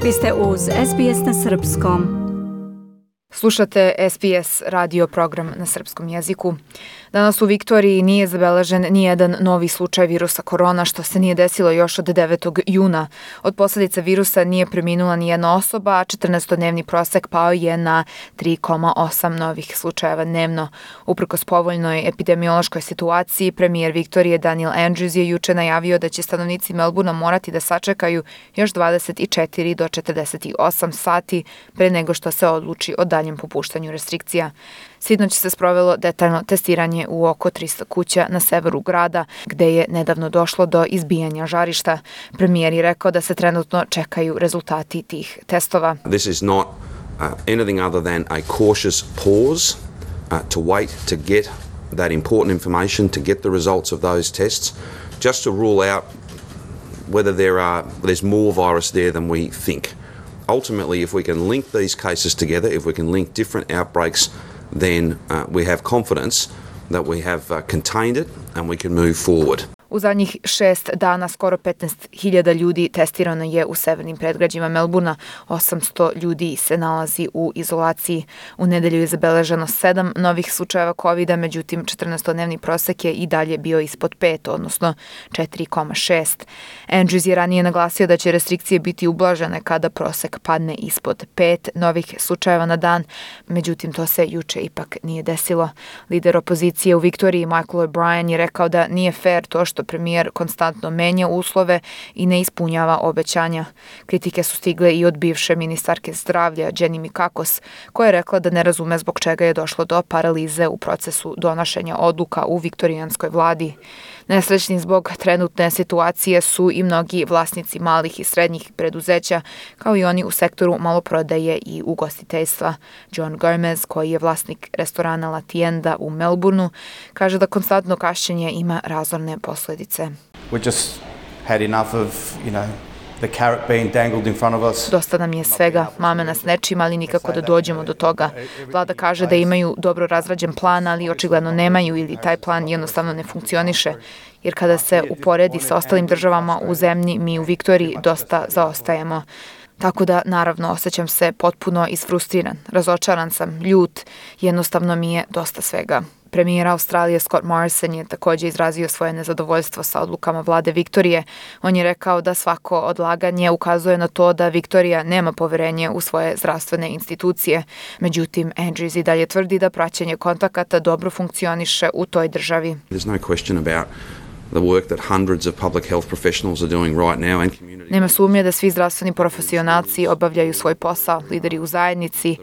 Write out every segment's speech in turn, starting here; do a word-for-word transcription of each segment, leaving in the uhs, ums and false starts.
Vi ste uz S B S na srpskom. Slušate S B S radio program na srpskom jeziku. Danas u Viktoriji nije zabeležen nijedan novi slučaj virusa korona, što se nije desilo još od devetog juna. Od posljedica virusa nije preminula nijedna osoba, a četrnaestodnevni prosek pao je na tri zarez osam novih slučajeva dnevno. Uprkos povoljnoj epidemiološkoj situaciji, premijer Viktorije Daniel Andrews je juče najavio da će stanovnici Melbourna morati da sačekaju još dvadeset četiri do četrdeset osam sati pre nego što se odluči o daljem popuštanju restrikcija. Sinoć se sprovelo detaljno testiranje u oko tristo kuća na severu grada, gde je nedavno došlo do izbijanja žarišta. Premijer je rekao da se trenutno čekaju rezultati tih testova. This is not uh, anything other than a cautious pause uh, to wait to get that important information, to get the results of those tests, just to rule out whether there are there's more virus there than we think. Ultimately, if we can link these cases together, if we can link different outbreaks, then uh, we have confidence that we have uh, contained it and we can move forward. U zadnjih šest dana skoro petnaest hiljada ljudi testirano je u severnim predgrađima Melbourna, osamsto ljudi se nalazi u izolaciji. U nedelju je zabeleženo sedam novih slučajeva kovida, međutim četrnaestodnevni prosek je i dalje bio ispod pet, odnosno četiri zarez šest. Andrews je ranije naglasio da će restrikcije biti ublažene kada prosek padne ispod pet novih slučajeva na dan, međutim to se juče ipak nije desilo. Lider opozicije u Viktoriji Michael O'Brien je rekao da nije fair to što premijer konstantno menja uslove i ne ispunjava obećanja. Kritike su stigle i od bivše ministarke zdravlja Jenny Mikakos, koja je rekla da ne razume zbog čega je došlo do paralize u procesu donošenja odluka u viktorijanskoj vladi. Nesrećni zbog trenutne situacije su i mnogi vlasnici malih i srednjih preduzeća, kao i oni u sektoru maloprodaje i ugostiteljstva. John Gomez, koji je vlasnik restorana La Tienda u Melbourneu, kaže da konstantno kašnjenje ima razorne posljedice. We just had enough of, you know, the carrot being dangled in front of us. Dosta nam je svega, mame nas nečim, ali nikako da dođemo do toga. Vlada kaže da imaju dobro razrađen plan, ali očigledno nemaju ili taj plan jednostavno ne funkcioniše. Jer kada se uporedi sa ostalim državama u zemlji, mi u Viktoriji dosta zaostajemo. Tako da, naravno, osjećam se potpuno isfrustriran, razočaran sam, ljut, jednostavno mi je dosta svega. Premijer Australije Scott Morrison je također izrazio svoje nezadovoljstvo sa odlukama vlade Viktorije. On je rekao da svako odlaganje ukazuje na to da Viktorija nema poverenje u svoje zdravstvene institucije. Međutim, Andrews i dalje tvrdi da praćenje kontakata dobro funkcioniše u toj državi. There's no question about the work that hundreds of public health professionals are doing right now and community. Nema sumnje da svi zdravstveni profesionalci obavljaju svoj posao, lideri u zajednici,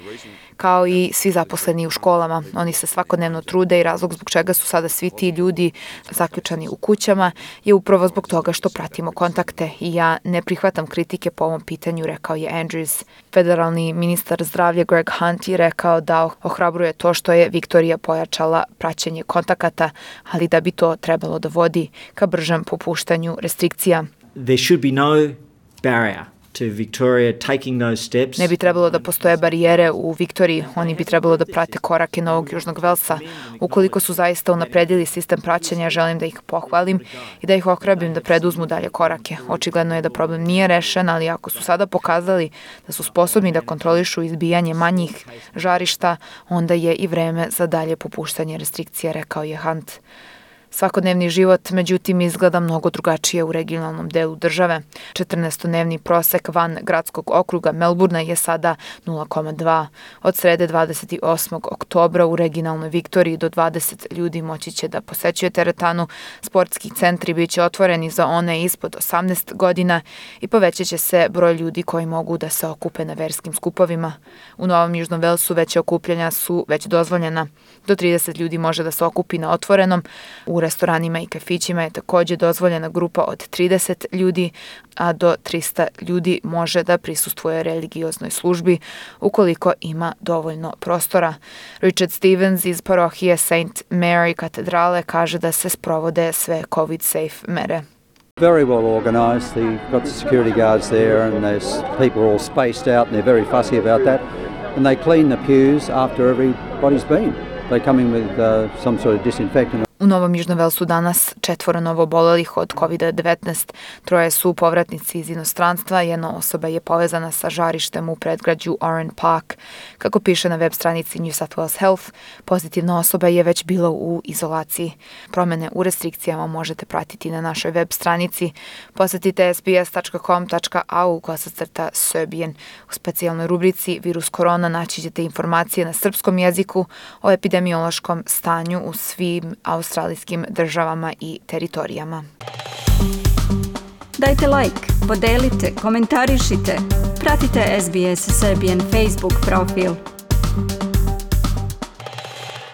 kao i svi zaposleni u školama. Oni se svakodnevno trude i razlog zbog čega su sada svi ti ljudi zaključani u kućama je upravo zbog toga što pratimo kontakte i ja ne prihvatam kritike po ovom pitanju, rekao je Andrews. Federalni ministar zdravlja Greg Hunt je rekao da ohrabruje to što je Viktorija pojačala praćenje kontakata, ali da bi to trebalo da vodi ka bržem popuštanju restrikcija. There should be no barrier to Victoria taking those steps. Ne bi trebalo da postoje barijere u Viktoriji, oni bi trebalo da prate korake Novog Južnog Velsa. Ukoliko su zaista unapredili sistem praćenja, želim da ih pohvalim i da ih ohrabrim da preduzmu dalje korake. Očigledno je da problem nije rešen, ali ako su sada pokazali da su sposobni da kontrolišu izbijanje manjih žarišta, onda je i vreme za dalje popuštanje restrikcija, rekao je Hunt. Svakodnevni život, međutim, izgleda mnogo drugačije u regionalnom delu države. četrnaestodnevni prosek van gradskog okruga Melbourna je sada nula zarez dva. Od srede dvadeset osmog oktobra u regionalnoj Viktoriji do dvadeset ljudi moći će da posećuje teretanu. Sportski centri bit će otvoreni za one ispod osamnaest godina i povećat će se broj ljudi koji mogu da se okupe na verskim skupovima. U Novom Južnom Velsu veće okupljanja su već dozvoljena. Do trideset ljudi može da se okupi na otvorenom. U restoranima i kafićima je također dozvoljena grupa od trideset ljudi, a do trista ljudi može da prisustvuje religioznoj službi ukoliko ima dovoljno prostora. Richard Stevens iz parohije Saint Mary katedrale kaže da se sprovode sve COVID-safe mere. Very well organised. They've got the security guards there and there's people all spaced out and they're very fussy about that. And they clean the pews after everybody's been. They come in with uh, some sort of disinfectant. U Novom Južnom Velsu danas četvoro novo obolelih od kovid devetnaest, troje su povratnici iz inostranstva, jedna osoba je povezana sa žarištem u predgrađu Oran Park. Kako piše na web stranici New South Wales Health, pozitivna osoba je već bila u izolaciji. Promene u restrikcijama možete pratiti na našoj web stranici. Posetite s b s tačka com tačka a u kosacrta Serbian. U specijalnoj rubrici Virus korona naći ćete informacije na srpskom jeziku o epidemiološkom stanju u svim australijskim državama i teritorijama. Dajte like, podelite, komentarišite. Pratite S B S Serbian Facebook profil.